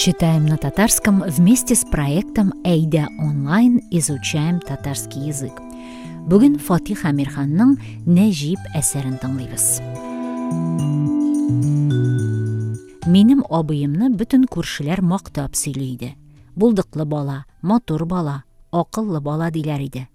Читаем на татарском вместе с проектом Әйдә онлайн изучаем татарский язык. Бүген Фатих Әмирханның Нәҗип әсәрен тыңлыйбыз. Минем абыемны бөтен күршеләр мактап сөйли иде. Булдыклы бала, матур бала, акыллы бала диләр иде.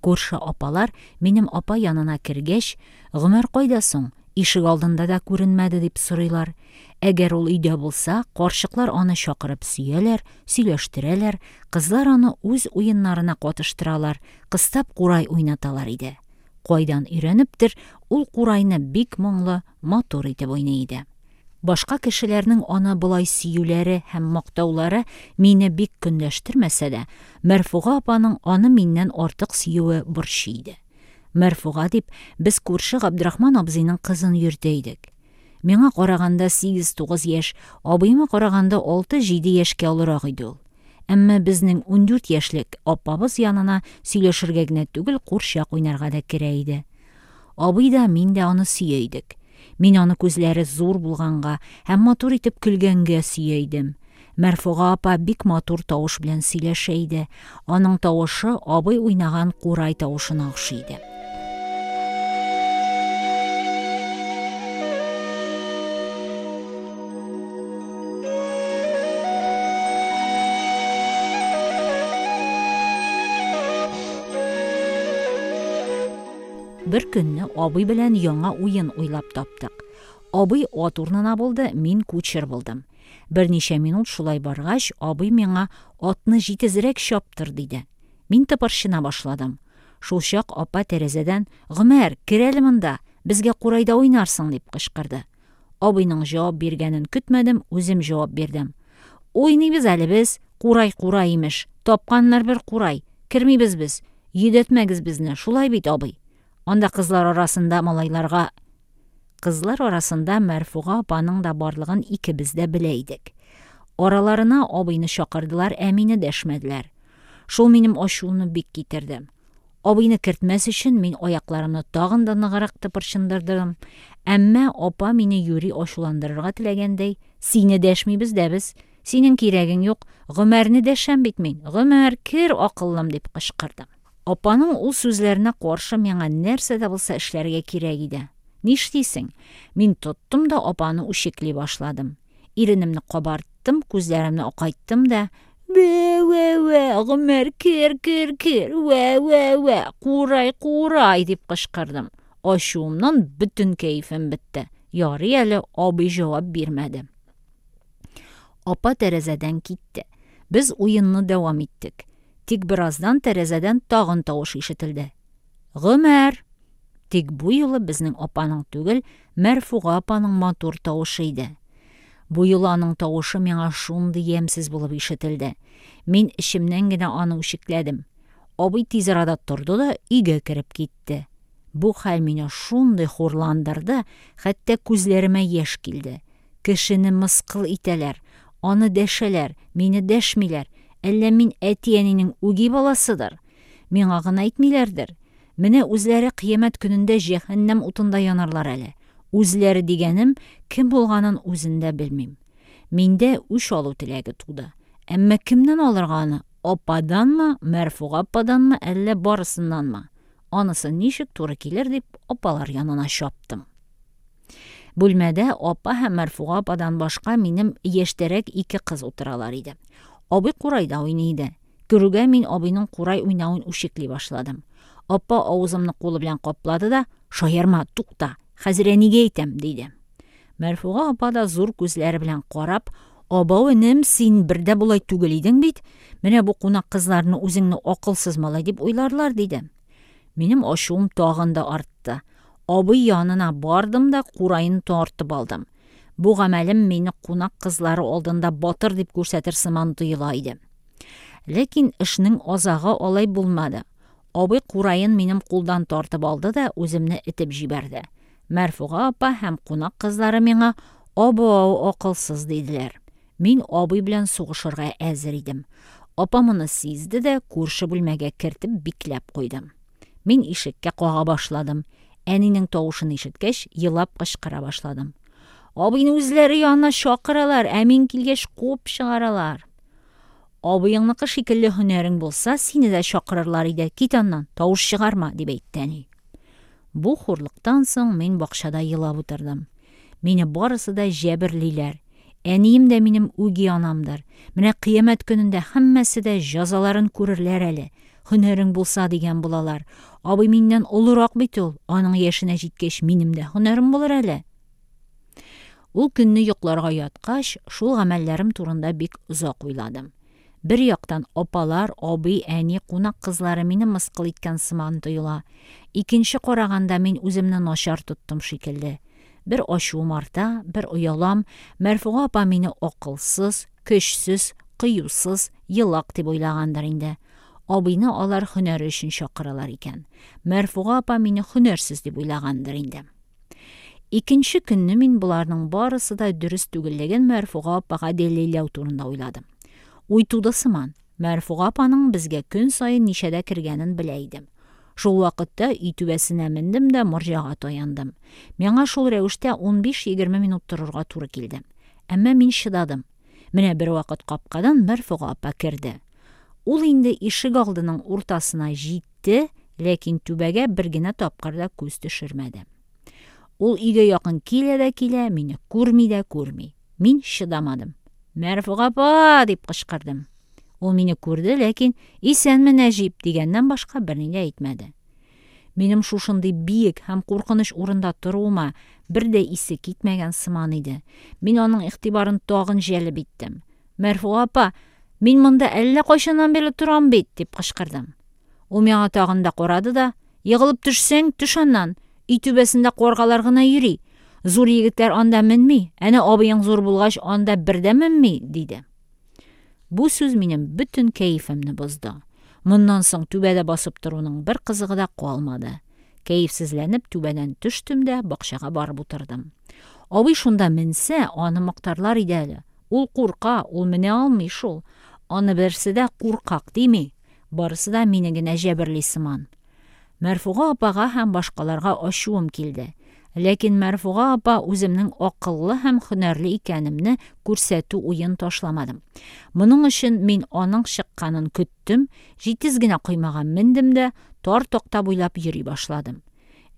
Күрше апалар минем апа янына кергәч, Гомәр кайда соң? Ишек алдында да күренмәде, дип сорыйлар. Әгәр ул өйдә булса, карчыклар аны чакырып сөяләр, сөйләштерәләр, кызлар аны үз уеннарына катыштыралар, кыстап курай уйнаталар иде. Кайдан өйрәнептер, ул курайны бик моңлы, матур итеп уйный иде. Башка кешеләрнең аны болай сөюләре һәм мактаулары мине бик көнләштермәсә дә, Мәрфуга апаның аны миннән артык сөюе борчый иде. Мәрфуга дип, без күрше Габдрахман абзыйның кызын йөртә идек. Миңа караганда сигез-тугыз яшь, абыема караганда алты-җиде яшькә олырак иде ул. Әмма безнең 14 яшьлек апабыз янына сөйләшергә генә түгел, курчак уйнарга да керә иде. Абый да, мин дә аны сөя идек. Мин аны күзләре зур булганга һәм матур итеп көлгәнгә сөя идем. Мәрфуга апа бик матур тавыш белән сөйләшә иде. Аның тавышы абый уйнаган курай тавышына охшый иде. Бер көнне абый белән яңа уен уйлап таптык. Абый ат урынына булды, мин кучер булдым. Берничә минут шулай баргач, абый миңа атны җитезрәк чаптыр, диде. Мин тыпырчына башладым. Шулчак апа тәрәзәдән, Гомәр, кер әле монда, безгә курайда уйнарсың, дип кычкырды. Абыйның җавап биргәнен көтмәдем, үзем җавап бирдем. Уйныйбыз әле без, курай курай имеш, тапканнар бер курай, кермибез без, йөдәтмәгез безне, шулай бит, абый? Анда кызлар арасында малайларга Кызлар арасында Мәрфуга апаның да барлыгын икебез дә белә идек. Араларына абыйны чакырдылар, ә мине дәшмәделәр. Шул минем ачуымны бик китерде. Абыйны кертмәс өчен мин аякларымны тагын да ныграк тыпырчындырдым. Әмма апа мине юри ачуландырырга теләгәндәй, Сине дәшмибез дә без, синең кирәгең юк, Гомәрне дәшәм бит мин, Гомәр, кер, акыллым, дип кычкырды. Апаның ул сүзләренә каршы миңа нәрсә дә булса эшләргә кирәк иде. Нишлисең? Мин тоттым да апаны үчекли башладым. Иренемне кабарттым, күзләремне акайттым да, Вә-вә-вә, Гомәр, кер, кер, кер, вә-вә-вә, курай, курай, дип кычкырдым. Ачуымнан бөтен кәефем бетте. Ярый әле абый җавап бирмәде. Апа тәрәзәдән китте. Без уенны дәвам иттек. Тик бераздан тәрәзәдән тагын тавыш ишетелде. Гомәр! Тик бу юлы безнең апаның түгел, Мәрфуга апаның матур тавышы иде. Бу юлы аның тавышы миңа шундый ямьсез булып ишетелде. Мин эчемнән генә аны үчекләдем. Абый тиз арада торды да өйгә кереп китте. Бу хәл мине шундый хурландырды, хәтта күзләремә яшь килде. Кешене мыскыл итәләр, аны дәшәләр, мине дәшмиләр. Әллә мин әти-әнинең үги баласыдыр? Миңа гына әйтмиләрдер. Менә үзләре кыямәт көнендә җәһәннәм утында янарлар әле. Үзләре дигәнем, кем булганын үзен дә белмим. Миндә үч алу теләге туды. Әмма кемнән алырга аны? Ападанмы, Мәрфуга ападанмы, әллә барысыннанмы? Анысы ничек туры килер дип, апалар янына чаптым. Бүлмәдә апа һәм Мәрфуга ападан башка минем яшьтәрәк ике кыз утыралар иде. Абый курайда уйный иде. Керүгә мин абыйның курай уйнавын үчекли башладым. Апа авызымны кулы белән каплады да, Шаярма, тукта, хәзер әнигә әйтәм, диде. Мәрфуга апа да зур күзләре белән карап, Абау, энем, син бер дә болай түгел идең бит. Менә бу кунак кызларны үзеңне акылсыз малай дип уйларлар, диде. Минем ачуым тагын да артты. Абый янына бардым да кураен тартып алдым. Бу гамәлем мине кунак кызлары алдында батыр дип күрсәтер сыман тоела иде. Ләкин эшнең азагы алай булмады. Абый кураен минем кулдан тартып алды да үземне этеп җибәрде. Мәрфуга апа һәм кунак кызлары миңа абау акылсыз диделәр. Мин абый белән сугышырга әзер идем. Апа моны сизде дә күрше бүлмәгә кертеп бикләп куйды. Мин ишеккә кага башладым. Әнинең тавышын ишеткәч, елап кычкыра башладым. Абыйны үзләре янына чакыралар, ә мин килгәч куып чыгаралар. Абыеңныкы шикелле һөнәрең булса, сине дә чакырырлар иде. Кит аннан, тавыш чыгарма, дип әйтте әни. Бу хурлыктан соң мин бакчада елап утырдым. Мине барысы да җәберлиләр. Әнием дә минем үги анамдыр. Менә кыямәт көнендә һәммәсе дә җәзаларын күрерләр әле. Һөнәрең булса дигән булалар. Абый миннән олырак бит ул. Аның яшенә җиткәч, минем дә һөнәрем булыр әле. Ул көнне йокларга яткач, шул гамәлләрем турында бик озак уйладым. Бер яктан, апалар, абый, әни, кунак кызлары мине мыскыл иткән сыман тоела. Икенче караганда, мин үземне начар тоттым шикелле. Бер ачуым арта, бер оялам. Мәрфуга апа мине акылсыз, көчсез, кыюсыз, елак дип уйлагандыр инде. Абыйны алар һөнәре өчен чакыралар икән. Мәрфуга апа мине һөнәрсез дип уйлагандыр инде. Икенче көнне мин боларның барысы да дөрес түгеллеген Мәрфуга апага дәлилләү турында уйладым. Уй туды сыман. Мәрфуга апаның безгә көн саен ничәдә кергәнен белә идем. Шул вакытта өй түбәсенә мендем дә морҗага таяндым. Миңа шул рәвештә 15-20 минут торырга туры килде. Әмма мин чыдадым. Менә бервакыт капкадан Мәрфуга апа керде. Ул инде ишегалдының уртасына җитте, ләкин түбәгә бер генә тапкыр да күз төшермәде. Ул өйгә якын килә дә килә, мине күрми дә күрми. Мин чыдамадым. «Мәрфуга апа!» дип кычкырдым. Ул мине күрде, ләкин «Исәнме, Нәҗип!» дигәннән башка берни дә әйтмәде. Минем шушындый биек һәм куркыныч урында торуыма бер дә исе китмәгән сыман иде. Мин аның игътибарын тагын җәлеп иттем. «Мәрфуга апа, мин монда әллә кайчаннан бирле торам бит!» дип кычкырдым. Ул миңа тагын да карады да, «Егылып төшсәң, төш аннан. Өй түбәсендә каргалар гына йөри. Зур егетләр анда менми. Әнә абыең зур булгач, анда бер дә менми», – диде. Бу сүз минем бөтен кәефемне бозды. Моннан соң түбәдә басып торуның бер кызыгы да калмады. Кәефсезләнеп түбәдән төштем дә бакчага барып утырдым. Абый шунда менсә, аны мактарлар иде әле. Ул курка, ул менә алмый шул. Аны берсе дә куркак дими. Барысы да мине генә җәберли сыман. Мәрфуга апага һәм башкаларга ачуым килде. Ләкин Мәрфуга апа үземнең акыллы һәм һөнәрле икәнемне күрсәтү уен ташламадым. Моның өчен мин аның чыкканын көттем, җитез генә коймага мендем дә тар такта буйлап йөри башладым.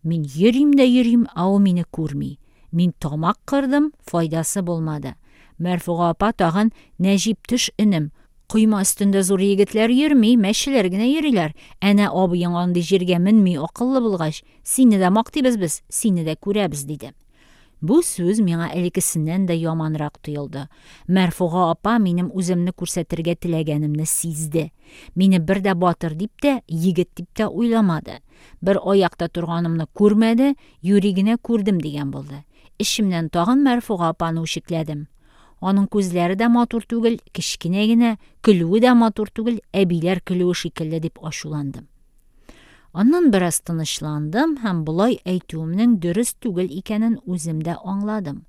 Мин йөрим дә йөрим, ә ул мине күрми. Мин тамак кырдым, файдасы булмады. Мәрфуга апа тагын: «Нәҗип, төш, энем. Койма өстендә зур егетләр йөрми, мәчеләр генә йөриләр. Әнә абыең андый җиргә менми, акыллы булгач. Сине дә мактыйбыз без, сине дә күрәбез», – диде. Бу сүз миңа элеккесеннән дә яманрак тоелды. Мәрфуга апа минем үземне күрсәтергә теләгәнемне сизде. Мине бер дә батыр дип тә, егет дип тә уйламады. Бер аякта торганымны күрмәде, юри генә күрдем дигән булды. Эчемнән тагын Мәрфуга апаны үчекләдем. Аның күзләре дә матур түгел, кечкенә генә, көлүе дә матур түгел, әбиләр көлүе шикелле дип ачуландым. Аннан бераз тынычландым һәм болай әйтүемнең дөрес түгел икәнен үзем дә аңладым.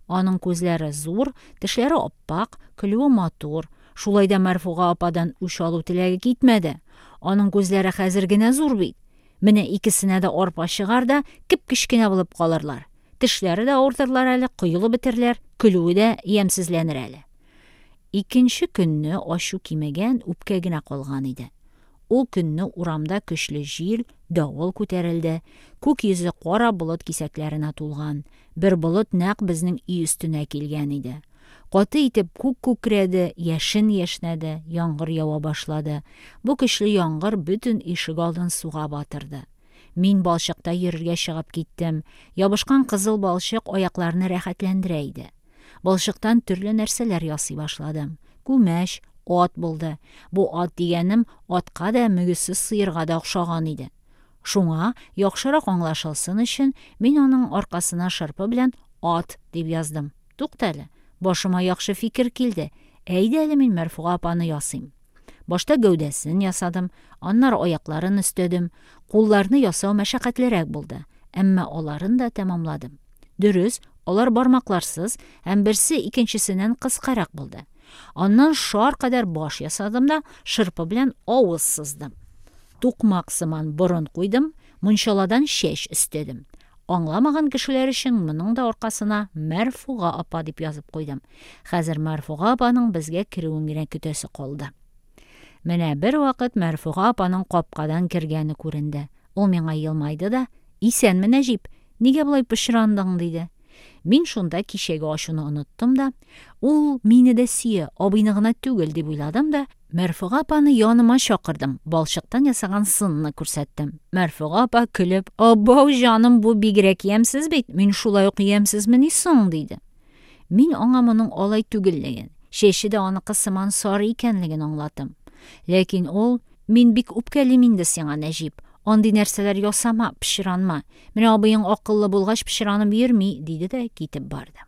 Аның күзләре зур, тешләре ап-ак, көлүе матур. Шулай да Мәрфуга ападан үч алу теләге китмәде. Аның күзләре хәзер генә зур бит. Менә икесенә дә арпа чыгар да, кеп-кечкенә булып калырлар. Тешләре дә авыртырлар әле, коелып бетерләр, көлүе дә ямьсезләнер әле. Икенче көнне ачу кимегән, үпкә генә калган иде. Ул көнне урамда көчле җил, давыл күтәрелде. Күк йөзе кара болыт кисәкләренә тулган. Бер болыт нәкъ безнең өй өстенә килгән иде. Каты итеп күк күкрәде, яшен яшьнәде, яңгыр ява башлады. Бу көчле яңгыр бөтен ишегалдын суга батырды. Мин балчыкта йөрергә чыгып киттем. Ябышкан кызыл балчык аякларны рәхәтләндерә иде. Балчыктан төрле нәрсәләр ясый башладым. Күмәч, ат булды. Бу ат дигәнем атка да, мөгезсез сыерга да охшаган иде. Шуңа, яхшырак аңлашылсын өчен, мин аның аркасына шырпы белән «ат» дип яздым. Туктале, башыма яхшы фикер килде. Әйдә әле мин Мәрфуга апаны ясыйм. Башта гәүдәсен ясадым, аннары аякларын өстәдем. Кулларны ясау мәшәкатьлерәк булды, әмма аларын да тәмамладым. Дөрес, алар бармакларсыз һәм берсе икенчесеннән кыскарак булды. Аннан шар кадәр баш ясадым да шырпы белән авыз сыздым. Тукмак сыман борын куйдым, мунчаладан чәч өстәдем. Аңламаган кешеләр өчен моның да аркасына Мәрфуга апа дип язып куйдым. Хәзер Мәрфуга апаның безгә керүен генә көтәсе калды. Менә бервакыт Мәрфуга апаның капкадан кергәне күренде. Ул миңа елмайды да: "Исәнме, Нәҗип! Нигә болай пычрандың?" – диде. Мин шунда кичәге ачуны оныттым да, ул мине дә сөя, абыйны гына түгел, дип уйладым да, Мәрфуга апаны яныма чакырдым, балчыктан ясаган сынны күрсәттем. Мәрфуга апа көлеп: "Абау, җаным, бу бигрәк ямьсез бит, мин шулай ук ямьсезмени соң?" – диде. Мин аңа моның алай түгеллеген, чәче дә аныкы сыман сары икәнлеген аңлаттым. Ләкин ул: "Мин бик үпкәлим инде сиңа, Нәҗип. Андый нәрсәләр ясама, пычранма. Менә абыең акыллы булгач, пычранып йөрми", – диде дә китеп барды.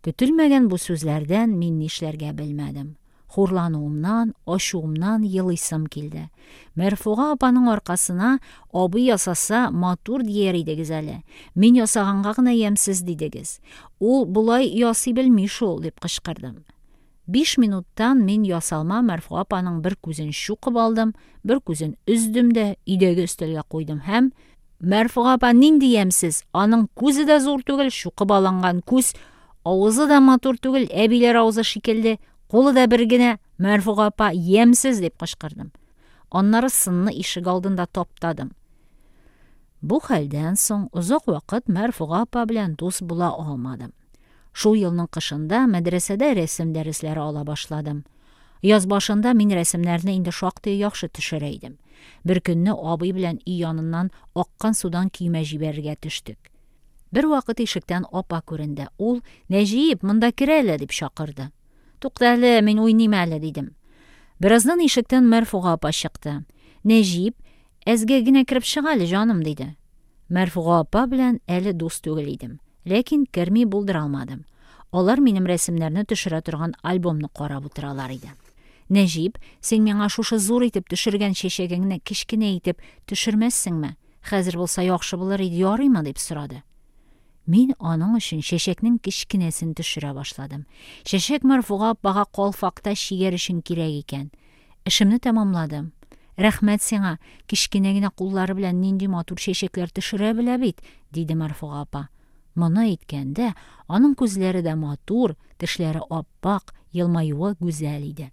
Көтелмәгән бу сүзләрдән мин нишләргә белмәдем. Хурлануымнан, ачуымнан елыйсым килде. Мәрфуга апаның аркасына: "Абый ясаса, матур дияр идегез әле. Мин ясаганга гына ямьсез дидегез. Ул болай ясый белми шул", – дип кычкырдым. 5 минуттан мин ясалма Мәрфуга апаның бер күзен чукып алдым, бер күзен өздем дә өйдәге өстәлгә куйдым һәм: "Мәрфуга апа нинди ямьсез! Аның күзе дә зур түгел, чукып алынган күз, авызы да матур түгел, әбиләр авызы шикелле, кулы да бер генә, Мәрфуга апа ямьсез!" – дип кычкырдым. Аннары сынны ишегалдында таптадым. Бу хәлдән соң озак вакыт Мәрфуга апа белән дус була алмадым. Шул елның кышында мәдрәсәдә рәсем дәресләре ала башладым. Яз башында мин рәсемнәрне инде шактый яхшы төшерә идем. Бер көнне абый белән өй яныннан аккан судан көймә җибәрергә төштек. Бервакыт ишектән апа күренде. Ул: "Нәҗип, монда кер әле", – дип чакырды. "Тукта әле, мин уйныйм әле", – дидем. Бераздан ишектән Мәрфуга апа чыкты. "Нәҗип, әзгә генә кереп чык әле, җаным", – диде. Мәрфуга апа белән әле дус түгел идем. Ләкин керми булдыра алмадым. Алар минем рәсемнәрне төшерә торган альбомны карап утыралар иде. "Нәҗип, син миңа шушы зур итеп төшергән чәчәгеңне кечкенә итеп төшермәссеңме? Хәзер булса яхшы булыр иде, ярыймы?" – дип сорады. Мин аның өчен чәчәкнең кечкенәсен төшерә башладым. Чәчәк Мәрфуга апага калфакта чигәр өчен кирәк икән. Эшемне тәмамладым. "Рәхмәт сиңа, кечкенә генә куллары белән нинди матур чәчәкләр төшерә белә бит", – диде Мәрфуга апа. Моны әйткәндә, аның күзләре дә матур, тешләре ап-ак, елмаюы гүзәл иде.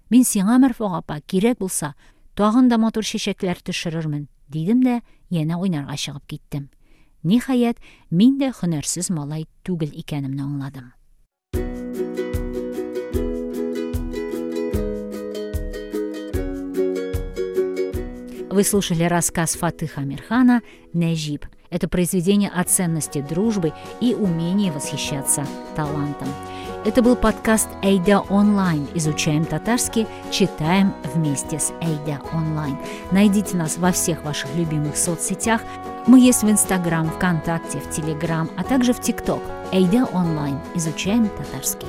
"Мин сиңа, Мәрфуга апа, кирәк булса, тагын да матур чәчәкләр төшерермен", – дидем дә янә уйнарга чыгып киттем. Ниһаять, мин дә һөнәрсез малай түгел икәнемне аңладым. Вы слушали рассказ Фатыха Амирхана «Нәҗип». Это произведение о ценности дружбы и умении восхищаться талантом. Это был подкаст «Әйдә онлайн». Изучаем татарский, читаем вместе с «Әйдә онлайн». Найдите нас во всех ваших любимых соцсетях. Мы есть в Инстаграм, ВКонтакте, в Телеграм, а также в ТикТок. «Әйдә онлайн». Изучаем татарский.